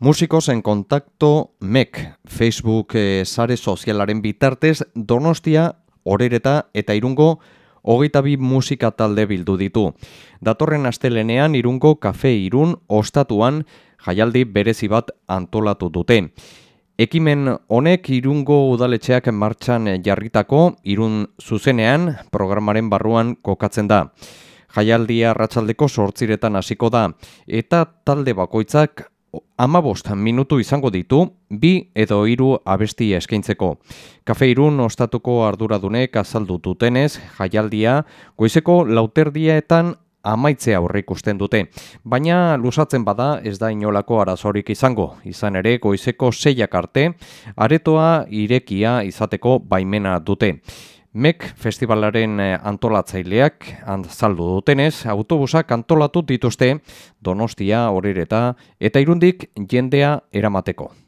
Músicos en contacto MEK, Facebook sare sozialaren bitartez Donostia, Orereta eta Irungo 22 musika talde bildu ditu. Datorren astelenean Irungo Kafe Irun ostatuan jaialdi berezi bat antolatu dute. Ekimen honek Irungo udaletxeak martxan jarritako Irun zuzenean programaren barruan kokatzen da. Jaialdia arratsaldeko 8:00 hasiko da eta talde bakoitzak 15 minutu izango ditu, 2 edo 3 abesti eskaintzeko. Kafe Irun ostatuko arduradunek azaldu dutenez, jaialdia goizeko 4:00 amaitzea aurreikusten dute. Baina luzatzen bada ez da inolako arazorik izango. Izan ere goizeko 6 arte, aretoa irekia izateko baimena dute. MEK festivalaren antolatzaileak azaldu dutenez, autobusak antolatu dituzte Donostia, Orereta eta Irundik jendea eramateko.